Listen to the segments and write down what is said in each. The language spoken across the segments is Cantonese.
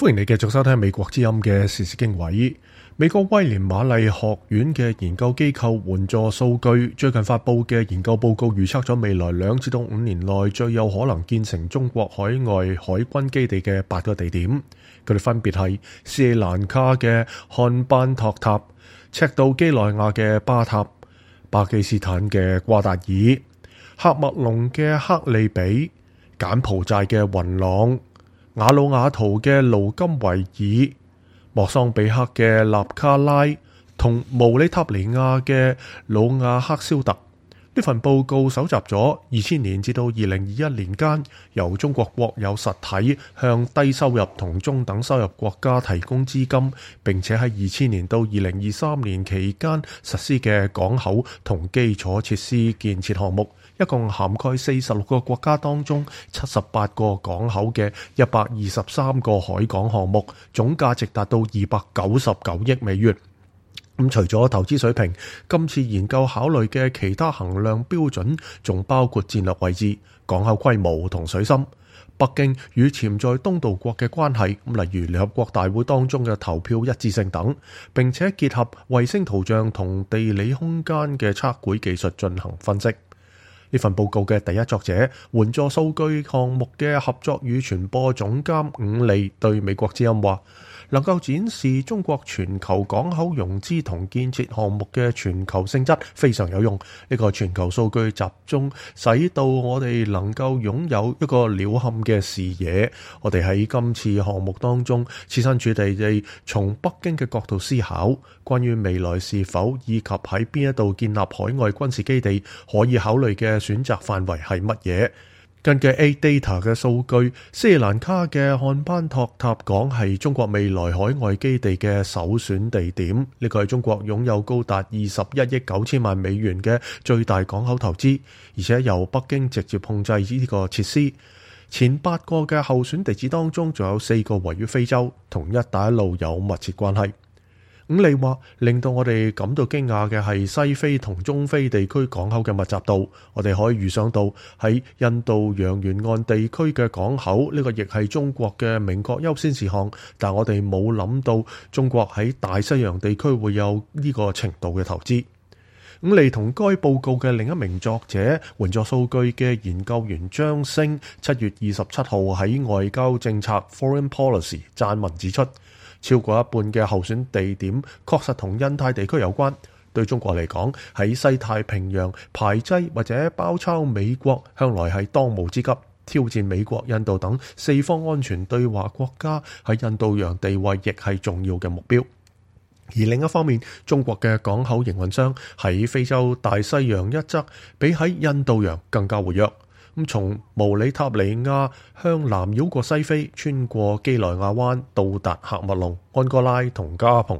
歡迎你繼續收聽美國之音嘅時事經緯。美國威廉瑪麗學院嘅研究機構援助數據最近發佈嘅研究報告預測咗未來2至5年內最有可能建成中國海外海軍基地嘅8個地點，佢哋分別係斯里蘭卡嘅漢班托塔、赤道幾內亞嘅巴塔、巴基斯坦嘅瓜達爾、喀麥隆嘅克利比、柬埔寨嘅雲朗、瓦努阿圖嘅盧金維爾、莫桑比克嘅納卡拉同毛里塔尼亞嘅魯亞克肖特。呢份報告搜集咗2000年至到2021年間由中國國有實體向低收入同中等收入國家提供資金，並且喺2000年到2023年期間實施嘅港口同基礎設施建設項目，一共涵蓋46個國家當中78個港口嘅123個海港項目，總價值達到299億美元。除咗投資水平，今次研究考慮嘅其他衡量標準仲包括戰略位置、港口規模同水深、北京與潛在東道國嘅關係，例如聯合國大會當中嘅投票一致性等，並且結合衛星圖像同地理空間嘅測繪技術進行分析。呢份報告嘅第一作者、援助數據項目嘅合作與傳播總監伍利對美國之音話，能夠展示中國全球港口融資同建設項目嘅全球性質非常有用。呢個全球數據集中使到我哋能夠擁有一個鳥瞰嘅視野。我哋喺今次項目當中設身處地從北京嘅角度思考，關於未來是否以及喺邊一度建立海外軍事基地可以考慮嘅選擇範圍係乜嘢。根據 ADATA 嘅數據，斯里蘭卡嘅漢班托塔港係中國未來海外基地嘅首選地點。呢個係中國擁有高達21億9千萬美元嘅最大港口投資，而且由北京直接控制呢個設施。前8個嘅候選地址當中，仲有4個位於非洲，同一帶一路有密切關係。伍利話，令到我哋感到驚訝嘅係西非同中非地區港口嘅密集度。我哋可以預想到喺印度洋沿岸地區嘅港口，呢個亦係中國嘅明確優先事項，但我哋冇諗到中國喺大西洋地區會有呢個程度嘅投資。伍利同該報告嘅另一名作者、援助數據嘅研究員張星7月27號喺外交政策 Foreign Policy 撰文指出，超過一半嘅候選地點確實同印太地區有關。對中國嚟講，喺西太平洋排擠或者包抄美國向來係當務之急。挑戰美國、印度等四方安全對話國家喺印度洋地位亦係重要嘅目標。而另一方面，中國嘅港口營運商喺非洲大西洋一側比喺印度洋更加活躍。從毛里塔尼亞向南繞過西非，穿過基內亞灣，到達喀麥隆、安哥拉同加蓬。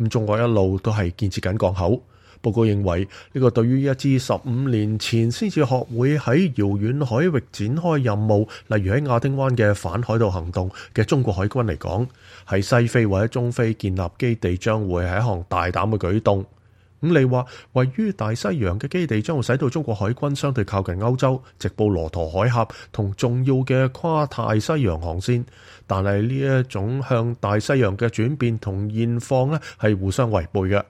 中國一路都係建設緊港口。報告認為，呢個對於一支15年前先至學會喺遙遠海域展開任務，例如喺亞丁灣嘅反海盜行動嘅中國海軍嚟講，喺西非或者中非建立基地將會係一項大膽嘅舉動。伍利話，位於大西洋嘅基地將會使到中國海軍相對靠近歐洲、直布羅陀海峽同重要嘅跨大西洋航線，但係呢一種向大西洋嘅轉變同現況呢係互相違背嘅。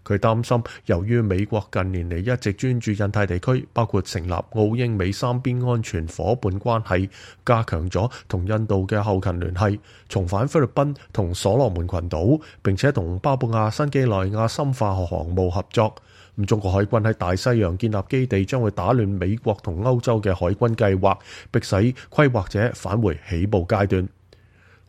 佢擔心，由於美國近年嚟一直專注印太地區，包括成立澳英美三邊安全夥伴關係，加強咗同印度嘅後勤聯繫，重返菲律賓同所羅門群島，並且同巴布亞新幾內亞深化航務合作。中國海軍喺大西洋建立基地將會打亂美國同歐洲嘅海軍計劃，迫使規劃者返回起步階段。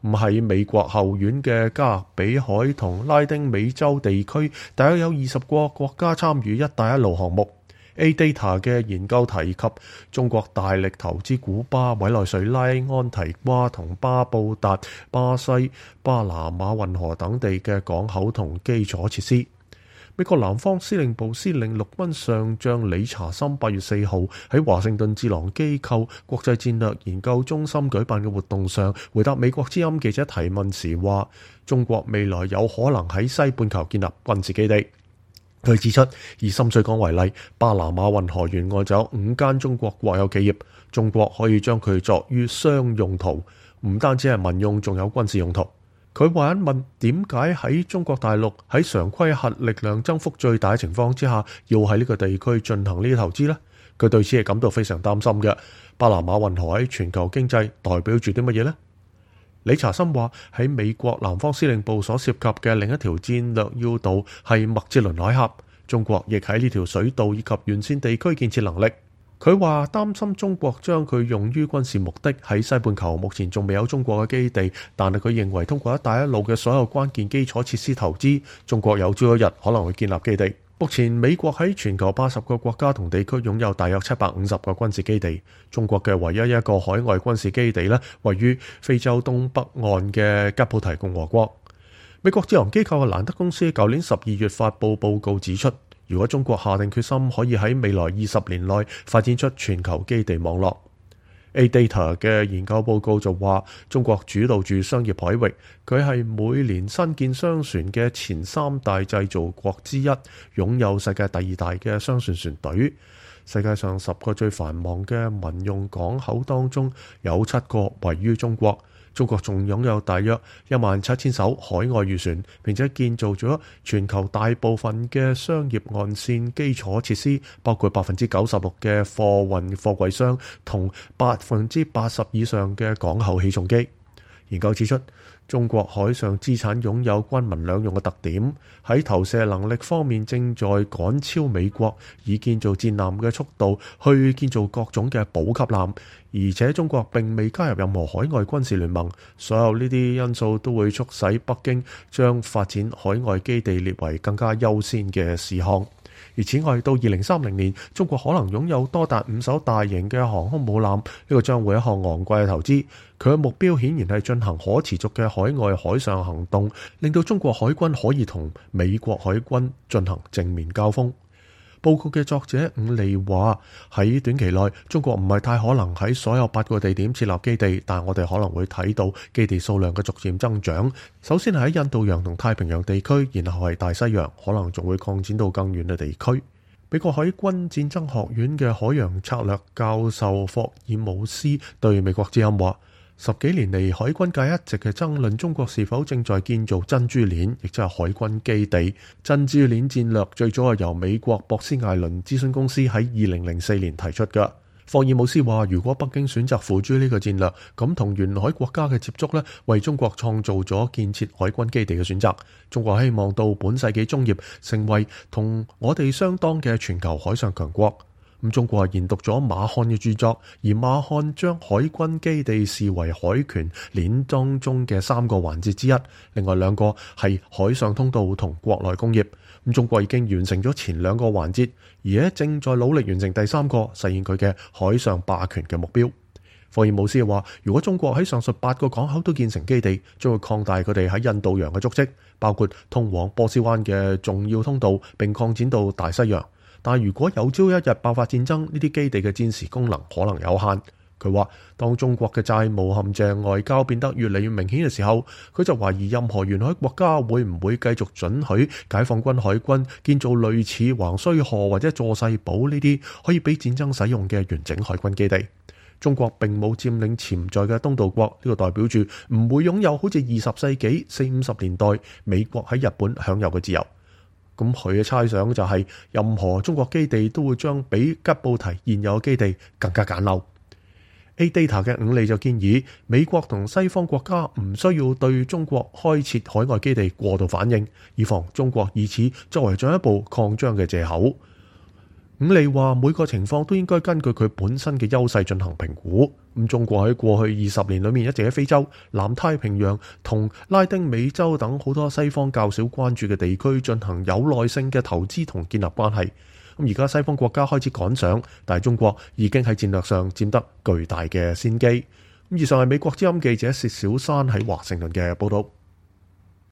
喺美國後院嘅加勒比海同拉丁美洲地區，大約有20個國家參與一帶一路項目。ADATA 嘅研究提及中國大力投資古巴、委內瑞拉、安提瓜同巴布達、巴西、巴拿馬運河等地嘅港口同基礎設施。美國南方司令部司令陸軍上將理查森8月4號喺華盛頓智囊機構國際戰略研究中心舉辦嘅活動上，回答美國之音記者提問時話，中國未來有可能喺西半球建立軍事基地。佢指出，以深水港為例，巴拿馬運河沿岸就有5間中國國有企業，中國可以將佢作於商用途，唔單止係民用，仲有軍事用途。佢還問點解喺中國大陸喺常規核力量增幅最大嘅情況之下，要喺呢個地區進行呢啲投資呢？佢對此係感到非常擔心嘅。巴拿馬運河喺全球經濟代表住啲乜嘢呢？理查森話喺美國南方司令部所涉及嘅另一條戰略要道係麥哲倫海峽，中國亦喺呢條水道以及沿線地區建設能力。佢話擔心中國將佢用於軍事目的。喺西半球目前仲未有中國嘅基地，但係佢認為通過一帶一路嘅所有關鍵基礎設施投資，中國有朝一日可能會建立基地。目前美國喺全球80個國家同地區擁有大約750個軍事基地，中國嘅唯一一個海外軍事基地呢，位於非洲東北岸嘅吉布提共和國。美國智囊機構嘅蘭德公司舊年12月發布報告指出，如果中國下定決心可以喺未來20年內發展出全球基地網絡。A-Data 嘅研究報告就話，中國主導住商業海域，佢係每年新建商船嘅前3大製造國之一，擁有世界第2大嘅商船船隊。世界上10個最繁忙嘅民用港口當中，有7個位於中國。中國仲擁有大約17000艘海外漁船，並且建造咗全球大部分嘅商業岸線基礎設施，包括96%嘅貨運貨櫃箱同80%以上嘅港口起重機。研究指出，中國海上資產擁有軍民兩用嘅特點，喺投射能力方面正在趕超美國，以建造戰艦嘅速度去建造各種嘅補給艦，而且中國並未加入任何海外軍事聯盟。所有呢啲因素都會促使北京將發展海外基地列為更加優先嘅事項。而此外，到2030年，中國可能擁有多達5艘大型嘅航空母艦，呢個將會一項昂貴嘅投資。佢嘅目標顯然係進行可持續嘅海外海上行動，令到中國海軍可以同美國海軍進行正面交鋒。報告嘅作者伍利話，喺短期內，中國唔係太可能喺所有8個地點設立基地，但我哋可能會睇到基地數量嘅逐漸增長。首先係喺印度洋同太平洋地區，然後係大西洋，可能仲會擴展到更遠嘅地區。美國海軍戰爭學院嘅海洋策略教授霍爾姆斯對美國之音話，10幾年嚟，海軍界一直嘅爭論中國是否正在建造珍珠鏈，亦即係海軍基地。珍珠鏈戰略最早係由美國博斯艾倫諮詢公司喺2004年提出嘅。霍爾姆斯話，如果北京選擇付諸呢個戰略，咁同沿海國家嘅接觸呢，為中國創造咗建設海軍基地嘅選擇。中國希望到本世紀中葉成為同我哋相當嘅全球海上強國。中國研讀咗馬漢嘅著作，而馬漢將海軍基地視為海權鏈當中嘅3個環節之一，另外2個係海上通道同國內工業。中國已經完成咗前2個環節，而且正在努力完成第3個，實現佢嘅海上霸權嘅目標。霍爾姆斯話，如果中國喺上述8個港口都建成基地，將會擴大佢哋喺印度洋嘅足跡，包括通往波斯灣嘅重要通道，並擴展到大西洋。但如果有朝一日爆發戰爭，呢啲基地嘅戰時功能可能有限。佢話，當中國嘅債務陷阱外交變得越嚟越明顯嘅時候，佢就懷疑任何沿海國家會唔會繼續准許解放軍海軍建造類似橫須賀或者佐世保呢啲可以俾戰爭使用嘅完整海軍基地。中國並冇佔領潛在嘅東道國，呢個代表住唔會擁有好似20世紀40-50年代美國喺日本享有嘅自由。咁佢嘅猜想就係，任何中國基地都會將比吉布提現有嘅基地更加簡陋。A-Data 嘅伍利就建議，美國同西方國家唔需要對中國開設海外基地過度反應，以防中國以此作為進一步擴張嘅藉口。伍利話，每個情況都應該根據佢本身嘅優勢進行評估。中國喺過去20年裏面一直喺非洲、南太平洋同拉丁美洲等好多西方較少關注嘅地區進行有耐性嘅投資同建立關係。而家西方國家開始趕上，但係中國已經喺戰略上佔得巨大嘅先機。以上係美國之音記者薛小山喺華盛頓嘅報道。